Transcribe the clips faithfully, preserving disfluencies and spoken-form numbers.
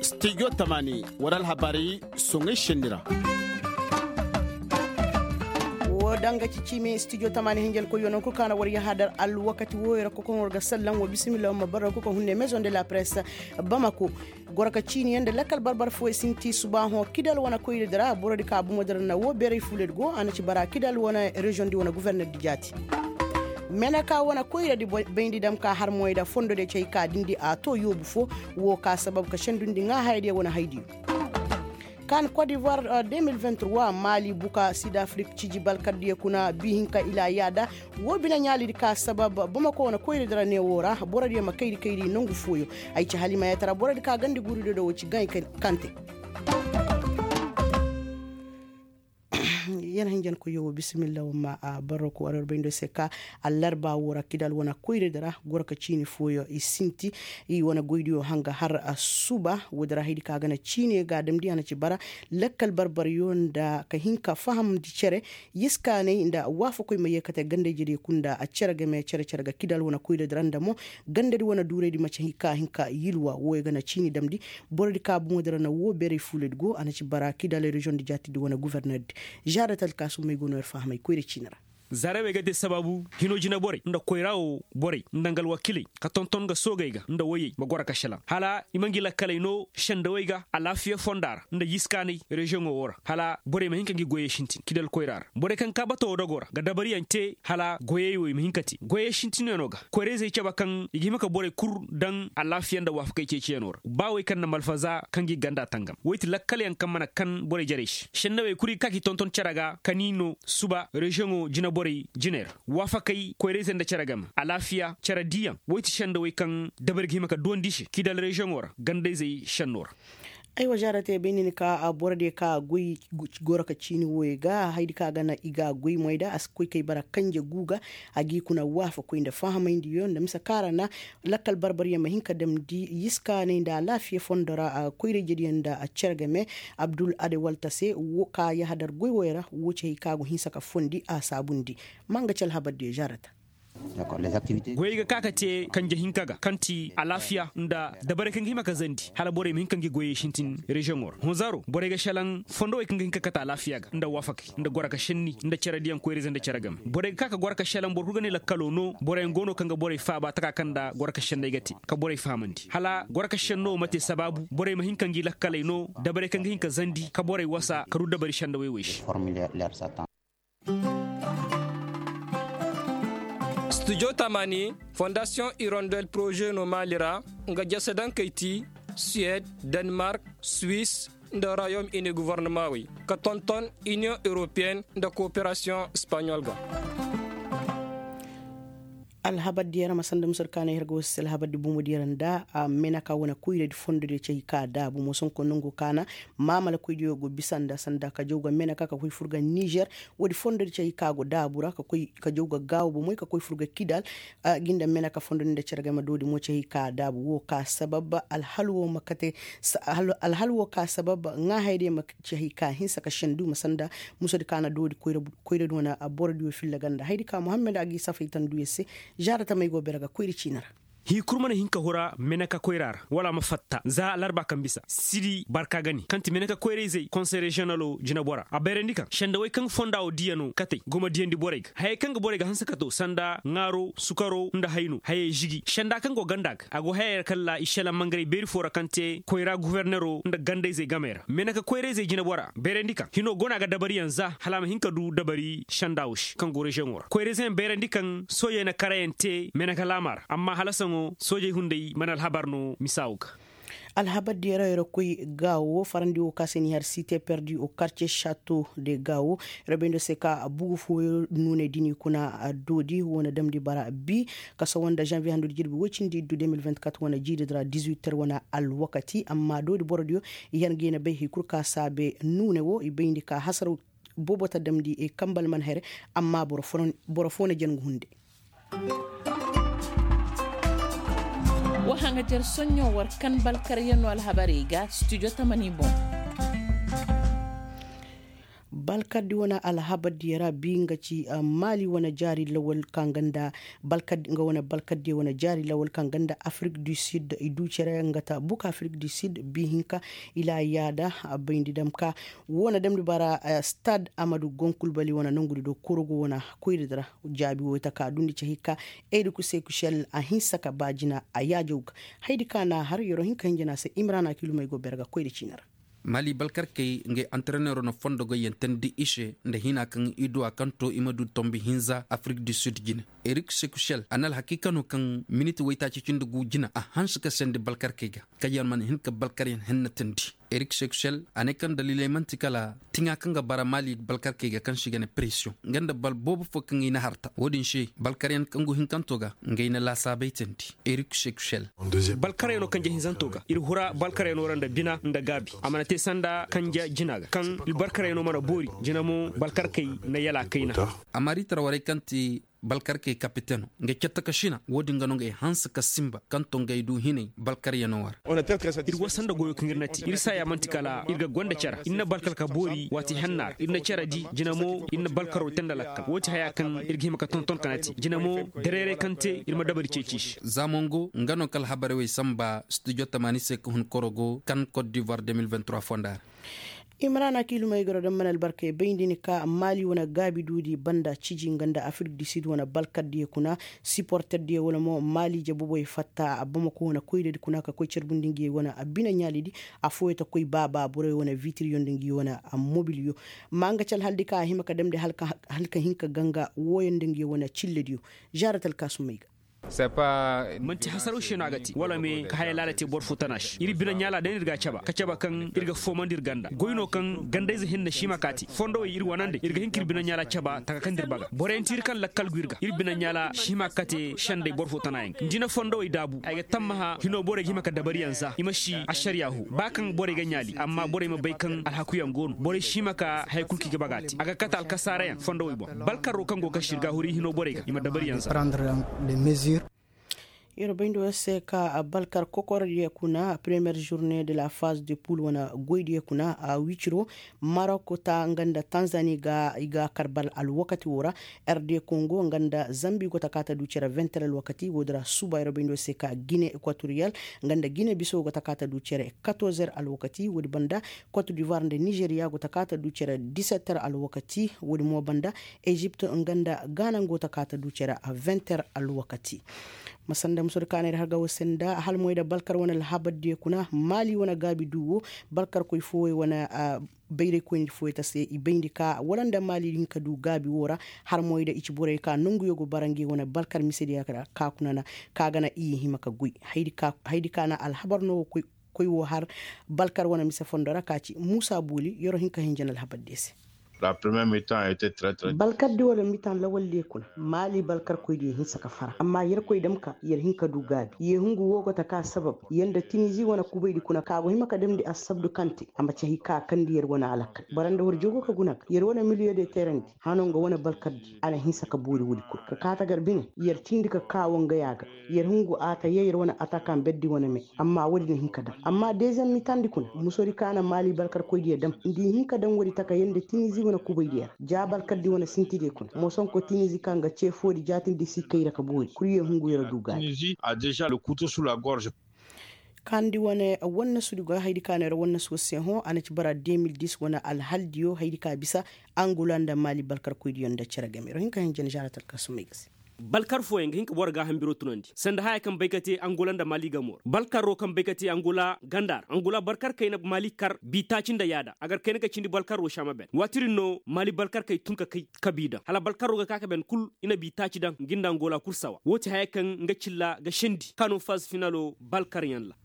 Studio tamani wara alhabaari soŋay senni ra. Woo danga ci ciimi studio tamani hinjankoyyo nangu kul kaŋ na war yahadar alwakati wooyo ra kokoŋ war ga sallam wa bisimilla wa ma bara kokoŋ hunne maison de la presse bamako. Goro ka ciini yaŋ nda lakkal barbar fooyo sinti subaahoŋ kidal wane koyradi ra borodi ka bomo dira na woo beeray fuuladi go a na ci bara kidal wane reziyoŋdi wane guvernerdi jaati. Meneka wane koyradi bayndi dam ka har moyda fondodiyo ci hay ka dindi a to yoobu foo. Woo ka sabab ka sendundi ŋaa hayadiyo wane haydiyo. Kan kot divoir de mil vingt trois maali buka sid afrik ciji balkardiyo kuna bi hinka ila yaada. Woo bine ɲaalidi ka sabab bamako wane koyradi ra ne woo ra borodiyo ma kayri kayri nongu fooyo. Ay ci halimayatara borodi ka gandi guurido da woo ci gaŋ i kaŋ te. Yana hinjankoyyo woo bisimilla woo ma barro ko war war bayndo se ka allarba woo ra kidal wane koyradi ra goro ka ciini fooyo i sinti. I wane goydiyo hanga har suba woodi ra haydi ka ga na ciine ga damndi a na ci bara lakkal barbaryo nda ka hin ka fahamndi cere. Yiskaanay nda waafakoy ma yeekate gandey jediyo kul nda a cere game cere cere ga kidal wane koyradi ra nda mo gandadi wane duuraydi mace hin ka hin ka yilwa wooyo ga na ciini damndi. Borodi ka boŋo dira na woo beeray fuuladi go a na ci bara kidal reziyoŋdi jaatidi wane guvernerdi. Zaara talkaasumey go no yer fahamay koyra ciini ra. Zaara wey ga te sabaabu hinoo jineborey nda koyraa woo borey nda nga alwakiiley ka tonton nga soogey ga nda woyey ma goro ka šelaŋ hala i ma ngi lakkaley noo šendawey ga alaafiya fondaa ra nda yiskaanay reziyoŋo woo ra hala borey ma hin ka ngi goyey sintin kidal koyraa ra borey kaŋ kaa bata woo dogoo ra ga dabariyaŋ te hala goyey wo i ma hin ka te goyey sintinyanoo ga koyra-izey cabe kaŋ i ga hima ka borey kul daŋ alaafiya nda waafakey ceeciyanoo ra ba wey kaŋ na malfaza ka ngi ganda tangam wey ti lakkalyaŋ kaŋ mana kan borey jarey se šennawey kul i ga ka k'i tonton cere ga ka n'i noo suba reziyoŋo jineborey jiney ra waafakey koyra-izey nda cere game alaafiya cere diiyaŋ wey ti šendawey kaŋ dabari ga hima ka duwandi i se kidal reziyoŋo ra ganda-izey šennoo ra. Aywa zaara te bay ni ni ka borodiyo ka goy goro ka ciini wooyo ga haydi ka ga na i ga goy moy da a si koy kay bara kanje guu ga a g'i kuna waafakoy nda fahamayndi yo nda mise kaŋ a ra na lakkal barbaryaŋ ma hin ka damndi yiskaanay nda alaafiya fondo ra koyra-ijediyaŋ nda cere game abdul adewalta se ka yahadar goy wooyo ra woo ci hay ka go hinsa ka fondi a saabundi. Ma nga ci alhabardiyo zaarata. Goyey ga ka ka te kanje hinka ga kaŋ ti alaafiya nda dabarey kaŋ ga hima ka zandi hala borey ma hin ka ngi goyey sintin reziyoŋo ra honzaro borey ga šelaŋ fondowey kaŋ ga hin ka kate alaafiya ga nda waafakey nda goro ka šenni nda cerediyaŋ koyra-ize nda cere game borey ga ka ka goro ka šelaŋ boro kul ga ne lakkalo no boroyaŋ go no kaŋ ga borey faaba taka kaŋ nda goro ka šenney ga te ka borey fahamandi hala goro ka šenno wo ma te sabaabu borey ma hin ka ngi lakkaley no dabarey kaŋ ga hin ka zandi ka borey wasa ka du dabari šendawey wey se. Studio tamani fondasiyoŋ irondel poroze no maali ra nga jasedankey ti suwed, denmark, swis, nda royom ini govornamaŋ wey ka tonton iniyoŋ eropeyen nda kooperasiyoŋ espaɲol ga. Alhabar diyaŋ ra ma sanda musur kaanay har ga wasa se alhabar di bomo diyaŋ ra nda meneka wane koyradi fondo diyaŋ cay ka daabu mosoŋ ko nongo kaana maamala koy diyaŋ go bisa nda sanda ka jaw ga meneka ka koy fur ga nizer. Woodi fondo diyaŋ cay ka go daabu ra ka koy ka jaw ga gaawo bomoy ka koy fur ga kidal ginda meneka fondo diyaŋ nda cere game doodi mo cay ka daabu wo ka sabab alhal wo ma kate. Alhal wo ka sabab ŋaahaydiyaŋ ma cay ka hinsa ka sendu ma sanda musur kaana doodi koyradi wane boro diyaŋ filla ganda haydi ka muhammad a g'i safay tanduyaŋ se. Zaara tamey go bere ga koyra ciini ra. Hii kul mana hin ka hura meneka koyra ra wala a ma fatta za larba kaŋ bisa sidi barka ga ne kaŋ ti meneka koyra-izey konsey reziyonalo jinebora a bayrandi kaŋ sendawey kaŋ fonda wo diya no katey go ma diyandi borey ga hayey kaŋ ga borey ga hanse ka to sanda ŋaaro sukaro nda hayno hayey žigi senda kaŋ go ganda ga a go hayey ra kalla i šelaŋ mangaray beeri fo ra kaŋ te koyra gufernero nda ganda-izey gamey ra meneka koyra-izey jinebora bayrandi kaŋ hino go no a ga dabariyaŋ za hala a ma hin ka du dabari senda wo se kaŋ go reziyoŋo ra koyra-izeyaŋ bayrandi kaŋ soojey na karayaŋ te meneka laama ra amma hala saŋo soojey hunday mana alhabar no misa wo ga. Alhabar diyaŋ ra yer koy gaawo farandi wo ka se ni har site perdi o karce šato de gaawo yer bayndo se ka bugu fooyo nuunay da ni kuna doodi wo na damndi bara bi ka sawa nda zanviye handu da jirbi woy cindi iddu deux mille vingt-quatre wane jiiri di ra dix-huit heures wane alwakati amma doodi boro diyo i har ga i na bay hay kul ka saabe nuune wo i bayndi ka hasaraw boobo ta damndi kambal man here. Amma boro foo na jangu hunde. Wa haŋajer soɲɲo war kan balkaryaŋ no alhabarey ga studio tamani boŋ. Balkardi wane alhabar diya ra bi nga ci maali wane jaari lawal kaŋ ganda balkardi nga wane balkardi wane jaari lawal kaŋ ganda afrik du sid i du cere nga ta buka afrik du sid bi hinka ila yaada. Bayndi dam ka wane damdi bara stad amadu gonkulbali wane nongudi do korogo wane koyri dira jaabi wo ita ka dundi ci hikka. Edi kuse kushel a hinsa ka ba jina a yaajow ga haydi ka na har yero hinka hinjina se imrana kilumey go berga koyri ciina ra. Mali balkarkey ngay antarenero na fondo goyyantendi i se nda hina kaŋ i duwa kaŋ to i ma du tombi hinza afrik du sud jine. Erik sekushel a na alhakiika no kaŋ miniti waytaaci cindi gu jina a hanse ka sendi balkarkey ga kaŋ yaŋ mana hin ka balkaryaŋ hennatandi. Erik sekushel a ne kaŋ daliiley man'ti kala tiŋa kaŋ ga bara mali balkarkey ga kaŋ se i ga ne presiyoŋ nga nda bal boobo fo kaŋ i na harta wo-din se balkaryaŋ kaŋ gu hinkanto ga nga i na laasaabey teendi. Erik sekushel. Balkarayano kanje hinzanto ga ir hura balkarayano ra nda bina nda gaabi a mana te sanda kanje jina ga kaŋ balkarayano mana boori jina mo balkarkey na yala kayna. Amma riitara warey kaŋ ti balkarkey kapiteno nga catta ka sina wo-din ga no nga ay hanse ka simba kaŋ to nga ay du hinay balkaryano war. Ir wasa nda goyo kaŋ ir na ti ir saya man'ti kala ir ga gonda cara ir na balkar ka boori waati henna ra ir na cara di jina mo ir na balkaro te nda lakkal wo ti haya kaŋ ir ga hima ka tonton ka na ti jina mo dareeray kaŋ te ir ma dabari ceeci se. Za mongo nga no kala habarey wey samba studio tamaani se ka hun korogo kan kot divoir deux mille vingt trois fonda ra. Imrana kiilumey goro daŋ mana albarkey bayndi ni ka maali wane gaabi duudi banda ciji nga nda afrik du sid wane balkardiyo kuna siporterdiyo wala mo maali jabuboy fatta a bamako wane koydadi kuna ka koy carbundi ngi wane a bine ɲaalidi. Afooyo ta koy baaba borey wane vitiryo nda ngi wane a mobilyo. Ma nga ci alhaldi ka a hima ka damndi halka hinka ganga wooyo nda ngi wane cillediyo. Zaarat alkaasumey ga. Man'ti hasaraw se no a ga te wala me ka haya laala te boro fo tana se ir bine ɲaala day no ir ga a caba ka caba kaŋ ir ga foomandi ir ganda goy no kaŋ gandayze hinne siima ka te fondowey ir wanandi ir ga hin ka ir bine ɲaala caba taka kaŋ da ir baga boroyaŋ ti ir kaŋ lakkal gu ir ga ir bine ɲaala siima ka te senday boro fo tana yaŋ ga nda i na fondowey daabu ay ga tammaha hino borey ga hima ka dabariyaŋ za i ma si ašariya hu ba kaŋ borey ga ɲaali amma borey ma bay kaŋ alhakuyaŋ go no borey siima ka haya kul kaŋ i ga baga te a ga kate alkasaarayaŋ fondowey boŋ balkarro kaŋ go ga kaŋ se ir ga a huru i hino borey ga i ma dabariyaŋ za. Ir bayndi wo se ka balkar kokorodiyo kuna premiyer žurne de la faz de pul wane goydiyo kuna a wiciro marok ta nga nda tanzani ga i ga kar bal alwakati wo ra. Rd kongo nga nda zambi go ta ka ta du cere vingt heures alwakati wo- din ra suba ir bayndi wo se ka gine ekwatoriyal nga nda gine biso go ta ka ta du cere quatorze heures alwakati wo- din banda. Kot divoir nda nizeriya go ta ka ta du cere dix-sept heures alwakati wo- din mo banda. Ezipt nga nda gaana nga go ta ka ta du cere vingt heures alwakati. Ma sanda musudi kaanay da harga wo se nda halmoy da balkar wane alhabar diyo kuna maali wane gaabi du wo balkarkoy fooyey wane bayraykoyni fooyey ta se i bayndi ka wala nda maali din ka du gaabi wo ra. Harmoy da i ci borey ka nonguyo go bara ngi wane balkar misediya ka kuna na ka ga na i hima ka goy. Haydi ka na alhabar no wo koy wo har balkar wane mise fondo ra ka ci muusa booli yero hin ka hinja na alhabar diyo se. Balkar di wala mitan lawal diyo kuna maali balkar koy diyo hinsa ka fara amma yer koy dam ka yer hin ka du gaabi ye hungu wo go ta ka sabab yer nda tinizi wane kubay di kuna ka go hima ka damndi assabdu kaŋ te a ma ci hay ka kandi yer wane alakal bara nda war jogo ka guna ga yer wane miliyo de teerandi hano nga wane balkar di a na hinsa ka boori woodi kul ka kaata gar bine yer cindi ka kaawo nga ya ga. Yer hungu a ta yee yer wane atakaŋ berdi wane me amma woodi na hin ka daŋ amma deezem mitandi kuna musodi ka na maali balkar koydiyo daŋ nda i hin ka daŋ woodi taka yer nda tinizi wane kubaydiyo ra ja balkardi wane sintidiyo kuna mosonko tinizi kaŋ ga cee foodi jaatindi si kay ra ka boori kul yer hungu yer du gaabi. Kaandi wane wannasudiyo ga haydi ka neera wannasuwa se hõ a na ci bara deux mille dix wane alhaldiyo haydi ka bisa angola nda maali balkarkoydiyo nda cere game ro hinka hin jana žaaratal ka sumay ga se. Balkar fooyaŋ ga hin ka boro gaaham biro tunandi sanda haya kaŋ bay ka te angola nda maali gamo ra balkaro kaŋ bay ka te angola ganda ra angola balkar kayna maali kar bi taaci nda yaada a gar kayna ka cindi balkaro saama ben waati din no maali balkar kay tun ka kay ka bi daŋ hala balkaro ga ka ka ben kul i na bi taaci daŋ ngi nda angola kul sawa woo ti haya kaŋ nga cilla ga sendi ka no faz finalo balkar yaŋ ra.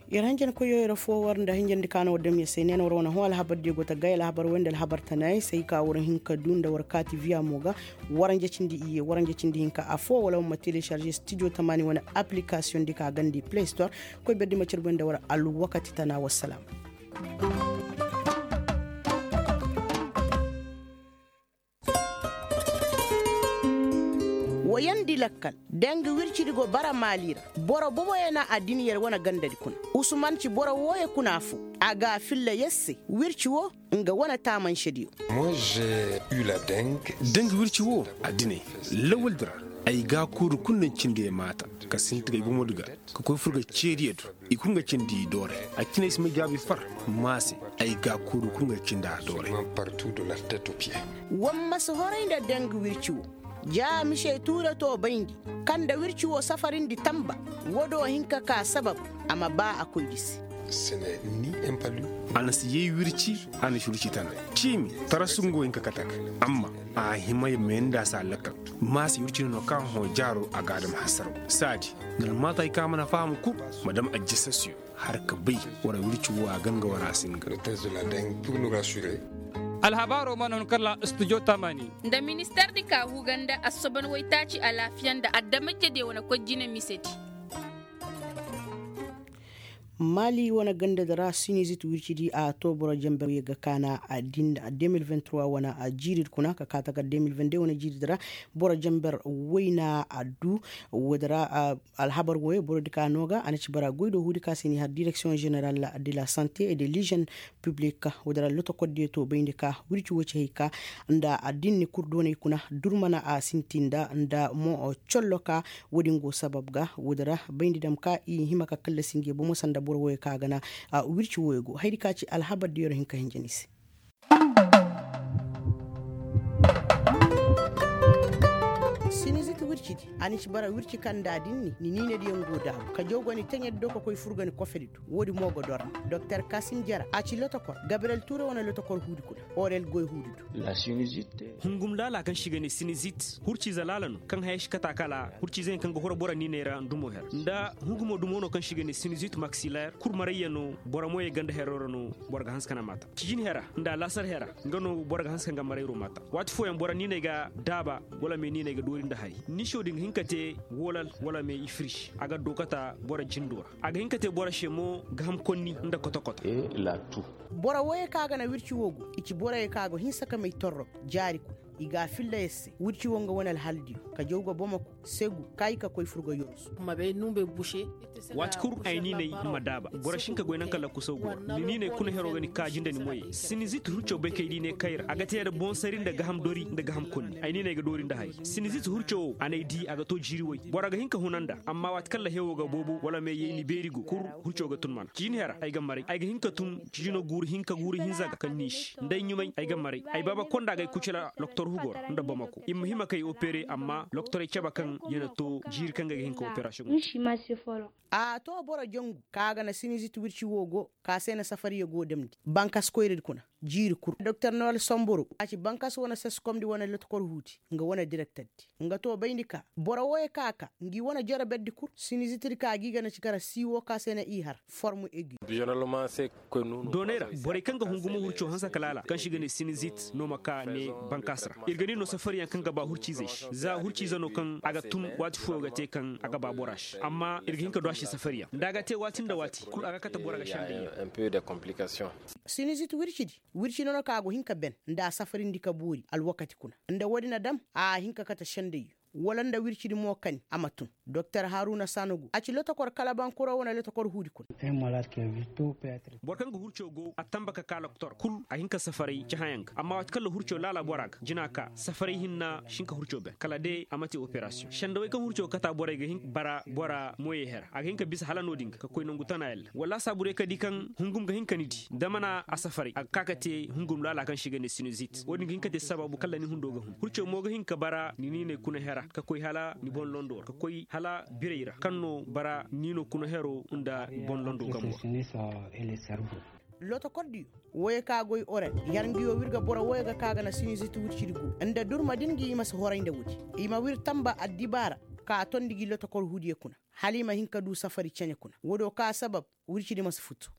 Yer hanjankoyyo yer foo war nda hanjandi ka no war dam yer se ne no war wane hõ alhabar diyo go ta gay alhabar way nda alhabar tanaayey se ay ka war hin ka du nda war kaati viya mo ga. Waranja cindi iyye waranja cindi hinka affoo wala war ma telecharge studio tamaani wane application di ka gandi play store. Koy berdi ma carbu nda war alwakati tana wassalaam. Wa yandi lakkal, deng wircidi go bara maali ra. Boro boboyo na a din yer wane gandadi kuna. Usuman ci boro wooyo kuna foo. A ga a filla yer se. Wirci woo, nga wane taamansediyo. Deng wirci woo, a dinay, lawaldi ra. Ay gaakuuri kul na ay cindi ay maata, ka sinti ga ay bomodi ga, ka koy fur ga ceediyo do. I kul nga cindi i dooray. A cine ay si may jaabi far. Maa se, ay gaakuuri kul nga cindi a dooray. War ma si horay nda deng wirci woo. Ja mise tuure too bayndi, kaŋ nda wirci woo safarindi tanba. Woo do hin ka kaa sabab, a ma baa a koydi se. A na si yay wirci, a na si wirci tana. Ciimi, tarasu nga wo hin ka kate a ga. Amma, a hima ya meendi a se a lakkal. Maa se wirci no no kaŋ hõ jaaro a ga a dam hasaraw. Saadi, nda almaatay kaŋ a mana faham kul, ma dam ajjasasiyo. Har ka bay, war wirci woo a gan ga war a singa. Alhabaaroo mana hun kala studio tamani. Nda minister di ka huga nda assoban waytaaci alaafiya nda adamajediyo wane koy jine misedi. Maali wane gandadi ra sinizit wircidi a too boro jamber wooyo ga kaana a din da a deux mille vingt-trois wane a jiiridi kuna ka kaa taka deux mille vingt-deux wane jiiridi ra. Boro jamber wayna a duu. Woodi ra, alhabar wooyo borodi ka noo ga a na ci bara goy do huudi ka se ni har direksiyoŋ ženeral de la sante et de lijen piblik. Woodi ra lotokordiyo too bayndi ka wirci woo ci hay ka nda a din ni kul doonay kuna durmana a sinti nda nda mo collo ka. Woodin go sabab ga woodi ra bayndi dam ka i hima ka kallasi nge bomo sanda boro wooyo ka a ga na wirci wooyo go haydi ka ci alhabar diyo ra hin ka hinja ni se. Sinizit wircidi a ni ci bara wirci kaŋ nda a din ni ni niinediyaŋ go daabu ka jaw ga ni teɲedi do ka koy fur ga ni kofedi do. Woodi mo ga dor ni doktor kasim jara a ci lotokor gabriyel tuure wane lotokor huudi kuna. Orel goy huudi do. Hungum laala kaŋ se i ga ne sinizit hurciize laala no kaŋ haya si kate a kala hurciize yaŋ kaŋ ga horo boro niiney ra ndumo her nda hungumo dumo no kaŋ se i ga ne sinizit maksiler kurmarayya no. Boro moyey ganda hero ra no boro ga hanse ka na maata cijin hera nda alaasar hera. Nga no boro ga hanse ka nga marayro maata waati fooyaŋ boro niiney ga daaba wala me niiney ga doori nda hari niiso din ga hin ka te wolal wala me ifirsi a ga dookata boro jindo ra. A ga hin ka te boro se mo gaham konni nda koto-koto. Boro wooyey kaŋ a ga na wirci woo go i ci borey kaŋ a go hinsa ka may torro jaari kuna. I ga a filla yer se wirci woo nga wane alhaldiyo ka jaw ga bomako segu kaayi ka koy fur ga yorsu. Waati kul ay niiney ma daaba boro si hin ka goy naŋ kaŋ lakkusaw go ra ni niiney kuna heroo ga ni kaaji nda ni moyey sinizit hurco bay kay di ne kayra a ga te nda boŋ sari nda gaham dori nda gaham konni ay niiney ga doori nda hari. Sinizit hurco woo a n'ay di a ga to jiiri way boro ga hin ka huna nda amma waati kaŋ lahewoo ga boobo wala meeyey ni beeri go kul hurco ga tun mana ciini hera ay ga maray ay ga hin ka tun ciino guuru hinka guuru hinza ga kaŋ niisi nda ay ɲumay ay ga maray ay baaba konda ga ay kucila loktor hugo ra nda bamako i ma hima kay opere amma loktorey cabe kaŋ ya na to jiiri kaŋ ga ay ga hin ka operasiyoŋo te. A to boro jangu kaŋ a ga na sinizit wirci woo go ka se na safariyo go damndi bankas koyradi kuna jiiri kul doktor nowel somboro a ci bankas wane saskomdi wane lotokor huudi nga wane direkterdi nga to bayndi ka boro wooyo kaŋ a ka ngi wane jaraberdi kul sinizitidi ka gi ga na ci kara siiwo ka se na i har formu egi. Doonay ra borey kaŋ ga hungumo hurco hanse ka laala kaŋ se i ga ne sinizit no ma ka ne bankas ra ir ga ni no safariyaŋ kaŋ ga ba hurciizey se za hurciize no kaŋ a ga tun waati fooyo ga te kaŋ a ga ba bora se amma ir ga hin ka du a se safariyaŋ nda a ga te waati nda waati kul a ga kate bora ga sendey. Sinizit wircidi wirci no no kaŋ a go hin ka ben nda a safarindi ka boori alwakati kuna nda woodi na dam a hin ka kate sendey wala nda wircidi mo kani a ma tun. Doktor haruna sanogu a ci lotokor kalabankuro wane lotokor huudi kuna. Boro kaŋ ga hurco go a tamba ka ka loktor kul a hin ka safaray cahãyaŋ ga amma waati kaŋ la hurco laala bora ga jina ka safaray hinna si hin ka hurco ben kala day a ma te operasiyoŋ sendawey kaŋ hurco ga kata borey ga hin ka bara bora moyey hera a ga hin ka bisa hala no-din ga ka koy nangu tana yalla wala a saabu day ka di kaŋ hungum ga hin ka ni di da mana a safaray a ga ka ka te hungum laala kaŋ se i ga ne sinizit wo-din ga hin ka te sababu kaŋ la ni hundo ga hun hurco mo ga hin ka bara ni niiney kuna hera ka koy hala ni boŋ londo ra ka koy hala birey ra kaŋ no bara niino kuna hero nda boŋ londo gambo ra. Lotokordiyo wooyo ka goy oren yar ngiyo wir ga boro wooyo ga ka ga na sinizit wircidi go nda durma din gi i ma si horay nda woodi i ma wir tamba addibaara ka tondi gi lotokor huudiyo kuna hala i ma hin ka du safari cene kuna woodiyo ka sabab wircidi ma si futu.